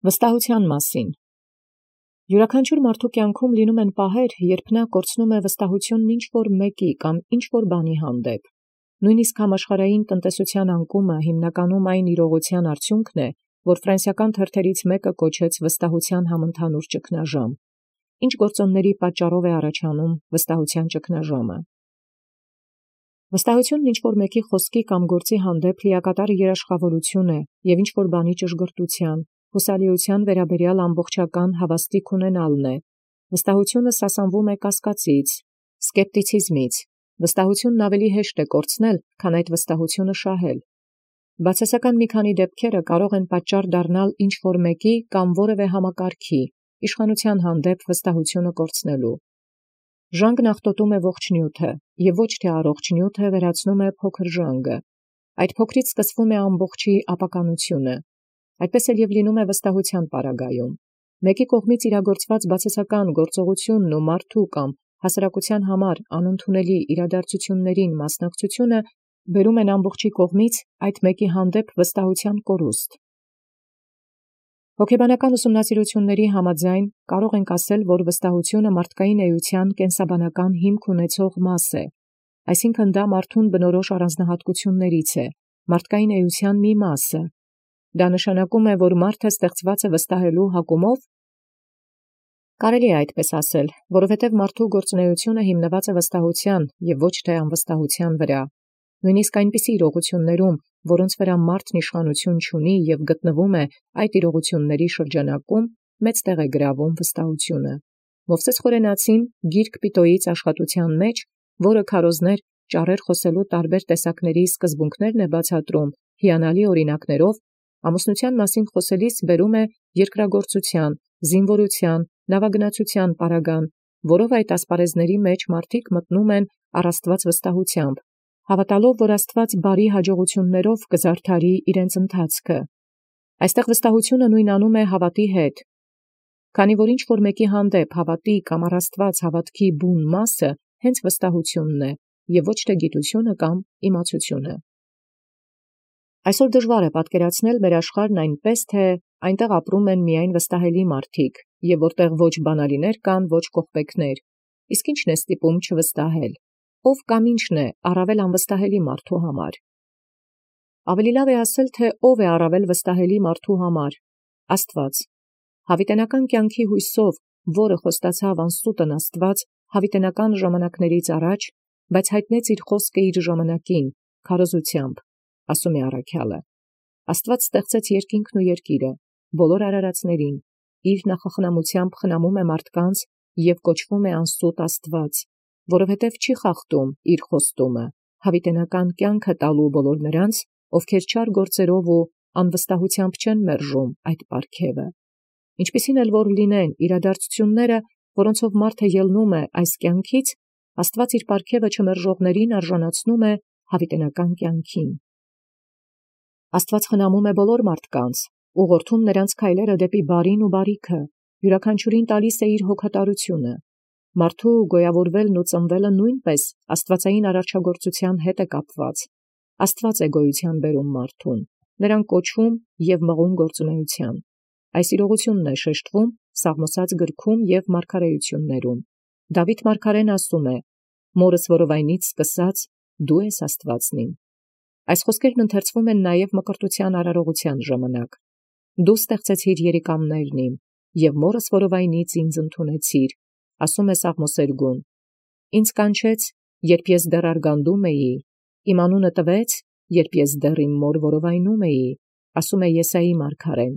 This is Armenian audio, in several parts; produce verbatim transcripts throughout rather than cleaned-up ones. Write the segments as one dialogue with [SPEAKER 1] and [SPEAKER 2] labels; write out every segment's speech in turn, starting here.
[SPEAKER 1] Վստահության մասին։ Յուրաքանչյուր մարդու կյանքում լինում են պահեր, երբ նա կորցնում է վստահությունն ինչ-որ մեկի կամ ինչ-որ բանի հանդեպ։ Նույնիսկ համաշխարհային տնտեսության անկումը հիմնականում այն իրողության արդյունքն է, որ ֆրանսիական թերթերից մեկը կոչեց վստահության համընդհանուր ճգնաժամ։ Ինչ գործոնների պատճառով է առաջանում վստահության ճգնաժամը։ Վստահությունն ինչ-որ մեկի խոսքի կամ գործի հանդեպ լիակատար երաշխավորություն է և ինչ-որ բանի ճշգրտության, հուսալիության վերաբերյալ ամբողջական հավաստիք ունենալն է։ Վստահությունը սասանվում է կասկածից, սկեպտիցիզմից։ Վստահությունն ավելի հեշտ է կորցնել, քան այդ վստահությունը շահել։ Բացասական մի քանի դեպքերը կարող են պատճառ դառնալ ինչ-որ մեկի կամ որևէ համակարգի իշխանության հանդեպ վստահությունը կորցնելու։ Ժանգն աղտոտում է ողջ նյութը, և ոչ թե առողջ նյութը վերացնում է փոքր ժանգը։ Այդ փոքրից սկսվում է ամբողջի ապականությունը։ Այդպես էլ և լինում է վստահության պարագայում։ Մեկի կողմից իրագործված բացասական գործողությունն ու մարդու կամ հասարակության համար անընդունելի իրադարձություններին մասնակցությունը բերում են ամբողջի կողմից այդ մեկի հանդեպ վստահության կորուստ։ Հոգեբանական ուսումնասիրությունների համաձայն կարող ենք ասել, որ վստահությունը մարդկային էության կենսաբանական հիմք ունեցող մաս է, այսինքն դա մարդուն բնորոշ առանձնահատկություններից է, մարդկային էության մի մասը։ Դա նշանակում է, որ մարդը ստեղծված է վստահելու հակումով։ Կարելի է այդպես ասել, որովհետև մարդու գործունեությունը հիմնված է վստահության և ոչ թե անվստահության վրա։ Նույնիսկ այնպիսի իրողություններում, որոնց վրա մարդն իշխանություն չունի և գտնվում է այդ իրողությունների շրջանակում, մեծ տեղ է գրավում վստահությունը։ Մովսես Խորենացին գիրք Պիտոյից աշխատության մեջ, որը քարոզներ ճառեր խոսելու տարբեր տեսակների սկզբունքներն է բացատրում հիանալի օրինակներով, ամուսնության մասին խոսելիս բերում է երկրագործության, զինվորության, նավագնացության պարագան, որով այդ ասպարեզների մեջ մարդիկ մտնում են առ Աստված վստահությամբ, հավատալով, որ Աստված բարի հաջողություններով կզարդարի իրենց ընթացքը։ Այստեղ վստահությունը նույնանում է հավատի հետ, քանի որ ինչ-որ մեկի հանդեպ հավատի կամ առ Աստված հավատքի բուն մասը հենց վստահությունն է և ոչ թե գիտությունը կամ իմացությունը։ Այսօր դժվար է պատկերացնել մեր աշխարհն այնպես, թե այնտեղ ապրում են միայն վստահելի մարդիկ, և որտեղ ոչ բանալիներ կան, ոչ կողպեքներ։ Իսկ ի՞նչն է ստիպում չվստահել։ Ով կամ ի՞նչն է առավել անվստահելի մարդու համար։ Ավելի լավ է ասել, թե ով է առավել վստահելի մարդու համար։ Աստված։ Հավիտենական կյանքի հույսով, որը խոստացավ անսուտն Աստված հավիտենական ժամանակներից առաջ, բայց հայտնեց իր խոսքը իր ժամանակին, քարոզությամբ, ասում է առաքյալը։ Աստված ստեղծեց երկինքն ու երկիրը, բոլոր արարածներին, իր նախախնամությամբ խնամում է մարդկանց և կոչվում է անսուտ Աստված, որովհետև չի խախտում իր խոստումը, հավիտենական կյանքը տալու բոլոր նրանց, ովքեր չար գործերով ու անվստահությամբ չեն մերժում այդ պարգևը։ Ինչպիսին էլ որ լինեն իրադարձությունները, որոնցով մարդը ելնում է այս կյանքից, Աստված իր պարգևը չմերժողներին արժանացնում է հավիտենական կյանքին։ Աստված խնամում է բոլոր մարդկանց, ուղղորդում նրանց քայլերը դեպի բարին ու բարիքը, յուրաքանչյուրին տալիս է իր հոգատարությունը։ Մարդու գոյավորվելն ու ծնվելը նույնպես աստվածային արարչագործության հետ է կապված։ Աստված է գոյության բերում մարդուն, նրան կոչում և մղում գործունեության։ Այս իրողությունն է շեշտվում Սաղմոս գրքում և մարգարեություններում։ Դավիթ մարգարեն ասում է. «Մորս որովայնից սկսած դու ես Աստվածն իմ»։ Այս խոսքերն ընթերցվում են նաև մկրտության արարողության ժամանակ։ Դու ստեղծեցիր երիկամներն իմ, և մորս որովայնից ինձ ընդունեցիր, ասում է Սաղմոսերգուն։ Ինձ կանչեց, երբ ես դեռ արգանդում էի, իմ անունը տվեց, երբ ես դեռ իմ մոր որովայնում էի, ասում է Եսայի մարգարեն։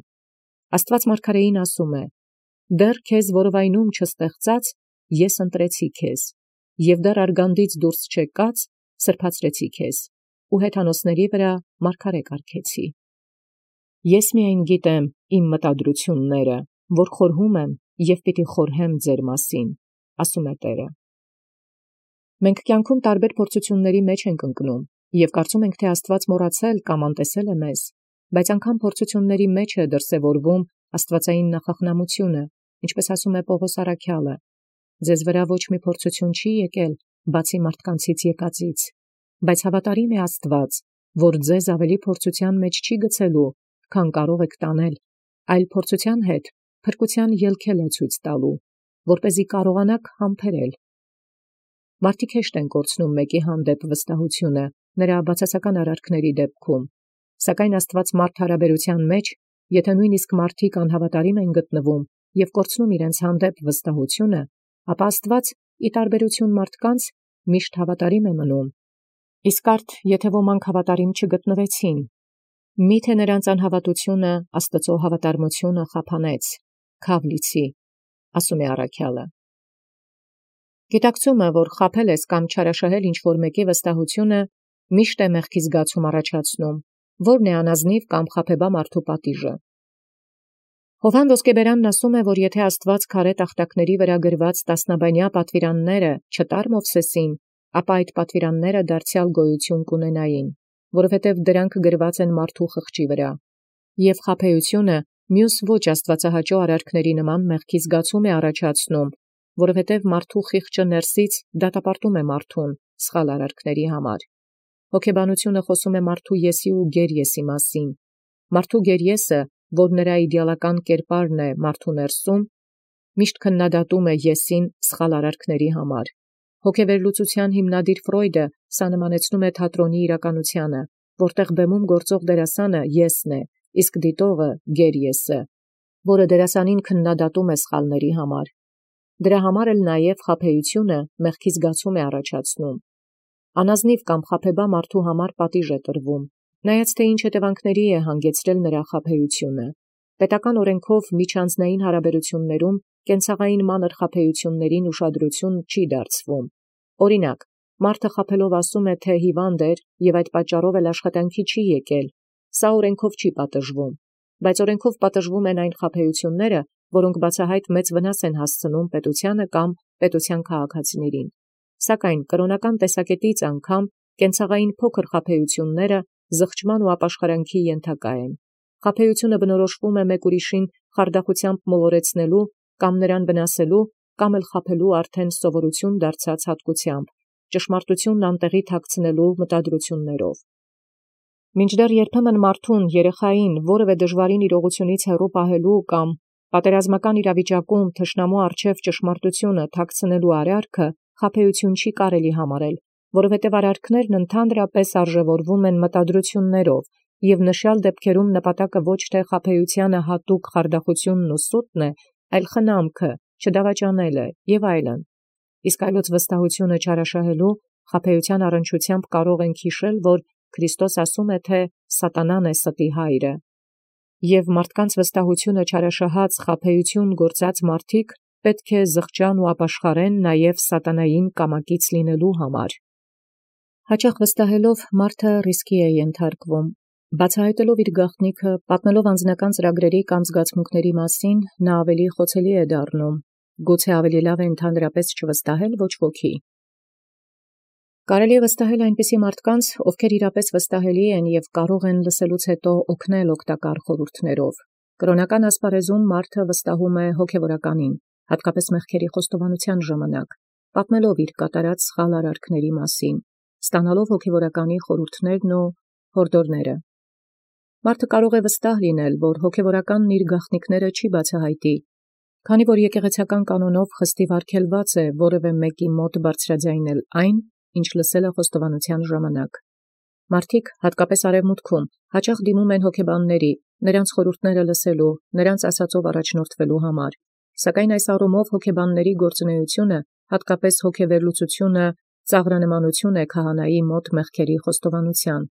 [SPEAKER 1] Աստված մարգարեին ասում է. «Դեռ քեզ որովայնում չստեղծած, ես ընտրեցի քեզ, և դեռ արգանդից դուրս չեկած, սրբացրեցի քեզ, ու հեթանոսների վրա մարգարե կարգեցի»։ Ես միայն գիտեմ իմ մտադրությունները, որ խորհում եմ և պիտի խորհեմ ձեր մասին, ասում է Տերը։ Մենք կյանքում տարբեր փորձությունների մեջ ենք ընկնում, և կարծում ենք, թե Աստված մոռացել կամ անտեսել է մեզ, բայց անգամ փորձությունների մեջ է դրսևորվում աստվածային նախախնամությունը, ինչպես ասում է Պողոս առաքյալը. «Ձեզ վրա ոչ մի փորձություն չի եկել, բացի մարդկանցից եկածից, բայց հավատարիմ է Աստված, որ ձեզ ավելի փորձության մեջ չի գցելու, քան կարող եք տանել, այլ փորձութեան հետ փրկութեան ելքել է ցույց տալու, որպեսզի կարողանաք համբերել։ Մարդիկ հեշտ են կորցնում մեկի հանդեպ վստահությունը նրա բացասական արարքների դեպքում, սակայն Աստված մարդ հարաբերութեան մեջ, եթե նույնիսկ մարդիկ անհավատարիմ են գտնվում և կորցնում իրենց հանդեպ վստահությունը, ապա Աստված ի տարբերություն մարդկանց միշտ հավատարիմ է մնում։ Իսկ արդ եթե ոմանք հավատարիմ չգտնվեցին, միթե նրանց անհավատությունը Աստծու հավատարմությունը խափանեց, քավ լիցի, ասում է առաքյալը։ Գիտակցումը, որ խաբել ես կամ չարաշահել ինչ-որ մեկի վստահությունը, միշտ է մեղքի զգացում առաջացնում, որն է անազնիվ կամ խաբեբա մարդու պատիժը։ Հովհան Ոսկեբերանն ասում է, որ եթե Աստված քարե տախտակների վրա գրված տասնաբանյա պատվիրանները չտար Մովսեսին, ապա այդ պատվիրանները դարձյալ գոյություն կունենային, որովհետև դրանք գրված են մարդու խղճի վրա։ Եվ խաբեությունը մյուս ոչ աստվածահաճո արարքների նման մեղքի զգացում է առաջացնում, որովհետև մարդու խիղճը ներսից դատապարտում է մարդուն սխալ արարքների համար։ Հոգեբանությունը խոսում է մարդու եսի ու գերեսի մասին։ Մարդու գերեսը, որ նրա իդեալական կերպարն է մարդու ներսում, միշտ քննադատում է եսին սխալ արարքների համար։ Հոգեվերլուծության հիմնադիր Ֆրոյդը սա նմանեցնում է թատրոնի իրականությանը, որտեղ բեմում գործող դերասանը եսն է, իսկ դիտողը գերեսը, որը դերասանին քննադատում է սխալների համար։ Դրա համար էլ նաև խաբեությունը մեղքի զգացում է առաջացնում։ Անազնիվ կամ խաբեբա մարդու համար պատիժ է տրվում, նայած թե ինչ հետևանքների է հանգեցրել նրա խաբեությունը։ Պետական օրենքով միջանձնային հարաբերություններում կենցաղային մանր խաբեություններին ուշադրություն չի դարձվում։ Օրինակ, մարդը խաբելով ասում է, թե հիվանդ էր և այդ պատճառով էլ աշխատանքի չի եկել, սա օրենքով չի պատժվում, բայց օրենքով պատժվում են այն խաբեությունները, որոնք բացահայտ մեծ վնաս են հասցնում պետությանը կամ պետության քաղաքացիներին։ Սակայն կրոնական տեսակետից անգամ կենցաղային փոքր խաբեությունները զղջման ու ապաշխարանքի ենթակա են։ Խաբեությունը բնորոշվում է մեկ ուրիշին խարդախությամբ մոլորեցնելու կամ նրան վնասելու կամ էլ խաբելու արդեն սովորություն դարձած հատկությամբ, ճշմարտությունն անտեղի թաքցնելու մտադրություններով։ Մինչդեռ երբեմն մարդուն, երեխային, որևէ դժվարին իրողությունից հեռու պահելու կամ պատերազմական իրավիճակում թշնամու առջև ճշմարտությունը թաքցնելու արարքը խաբեություն չի կարելի համարել, որովհետև արարքներն ընդհանրապես արժևորվում են մտադրություններով, և նշյալ դեպքերում նպատակը ոչ թե խաբեությանը հատուկ խարդախությունն ու սուտն է, այլ խնամքը, չդավաճանելը և այլն։ Իսկ այլոց վստահությունը չարաշահելու խաբեության առնչությամբ կարող ենք հիշել, որ Քրիստոս ասում է, թե սատանան է ստի հայրը։ Եվ մարդկանց վստահությունը չարաշահած խաբեություն գործած մարդիկ պետք է զղջան ու ապաշխարեն նաև սատանային կամակից լինելու համար։ Հաճախ վստահելով մարդը ռիսկի է ենթարկվում։ Բացահայտելով իր գաղտնիքը, պատմելով անձնական ծրագրերի կամ զգացմունքների մասին, նա ավելի խոցելի է դառնում։ Գուցե ավելի լավ է ընդհանրապես չվստահել ոչ ոքի։ Կարելի է վստահել այնպիսի մարդկանց, ովքեր իրապես վստահելի են և կարող են լսելուց հետո օգնել օգտակար խորհուրդներով։ Կրոնական ասպարեզում մարդը վստահում է հոգևորականին, հատկապես մեղքերի խոստովանության ժամանակ, պատմելով իր կատարած սխալ արարքների մասին, ստանալով հոգևորականի խորհուրդներն ու հորդորները։ Մարդը կարող է վստահ լինել, որ հոգևորականն իր գաղտնիքները չի բացահայտի, քանի որ եկեղեցական կանոնով խստիվ արգելված է որևէ մեկի մոտ բարձրաձայնել այն, ինչ լսել է խոստովանության ժամանակ։ Մարդիկ, հատկապես արևմուտքում, հաճախ դիմում են հոգեբանների, նրանց խորհուրդները լսելու, նրանց ասածով առաջնորդվելու համար։ Սակայն այս առումով հոգեբանների գործունեությունը, հատկապես հոգեվերլուծությունը, ծաղրանմանություն է քահանայի մոտ մեղքերի խոստովանության։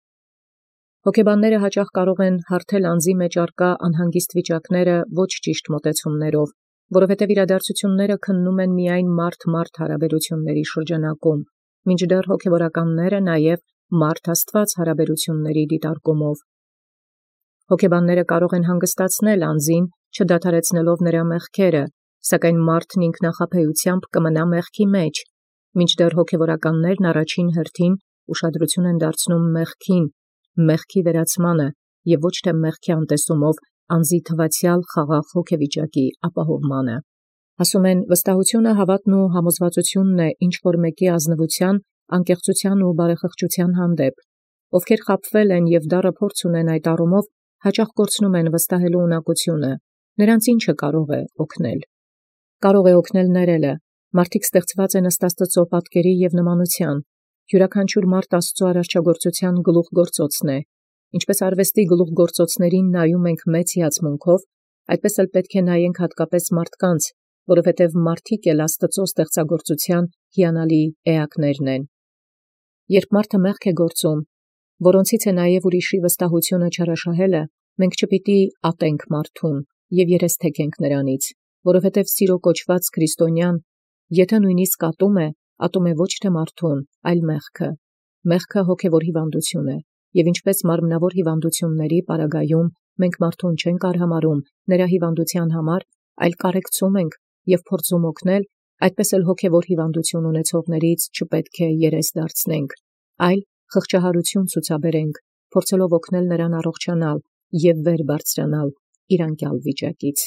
[SPEAKER 1] Հոգեբանները հաճախ կարող են հարթել անձի մեջ առկա անհանգիստ վիճակները ոչ ճիշտ մոտեցումներով, որովհետև իրադարձությունները քննում են միայն մարդ-մարդ հարաբերությունների շրջանակում, մինչդեռ հոգևորականները նաև մարդ-Աստված հարաբերությունների դիտարկումով։ Հոգեբանները կարող են հանգստացնել անձին, չդադարեցնելով նրա մեղքերը, սակայն մարդն ինքնախաբեությամբ կմնա մեղքի մեջ, մինչդեռ հոգևորականներն առաջին հերթին ուշադրություն են դարձնում մեղքին, մեղքի վերացմանը և ոչ թե մեղքի անտեսումով անձի թվացյալ խաղաղ հոգեվիճակի ապահովմանը։ Ասում են, վստահությունը հավատն ու համոզվածությունն է ինչ-որ մեկի ազնվության, անկեղծության ու բարեխղճության հանդեպ։ Ովքեր խաբվել են և դառը փորձ ունեն այդ առումով, հաճախ կորցնում են վստահելու ունակությունը, Նրանց ի՞նչը կարող է օգնել։ Կարող է օգնել ներելը։ Մարդիկ ստեղծված են ըստ Աստծո պատկերի և նմանության։ Յուրաքանչյուր մարդ Աստծո արարչագործության գլուխգործոցն է։ Ինչպես արվեստի գլուխգործոցներին նայում ենք մեծ հիացմունքով, այդպես էլ պետք է նայենք հատկապես մարդկանց, որովհետև մարդիկ էլ Աստծո ստեղծագործության հիանալի էակներն են։ Երբ մարդը մեղք է գործում, որոնցից է նաև ուրիշի վստահությունը չարաշահելը, մենք չպիտի ատենք մարդուն և երես թեքենք նրանից, որովհետև սիրո կոչված քրիստոնյան, եթե նույնիսկ ատում է, ատում է ոչ թե մարդուն, այլ մեղքը։ Մեղքը հոգևոր հիվանդություն է, և ինչպես մարմնավոր հիվանդությունների պարագայում մենք մարդուն չենք արհամարհում նրա հիվանդության համար, այլ կարեկցում ենք և փորձում օգնել, այդպես էլ հոգևոր հիվանդություն ունեցողներից չպետք է երես դարձնենք, այլ խղճահարություն ցուցաբերենք, փորձելով օգնել նրան առողջանալ և վեր բարձրանալ իր անկյալ վիճակից։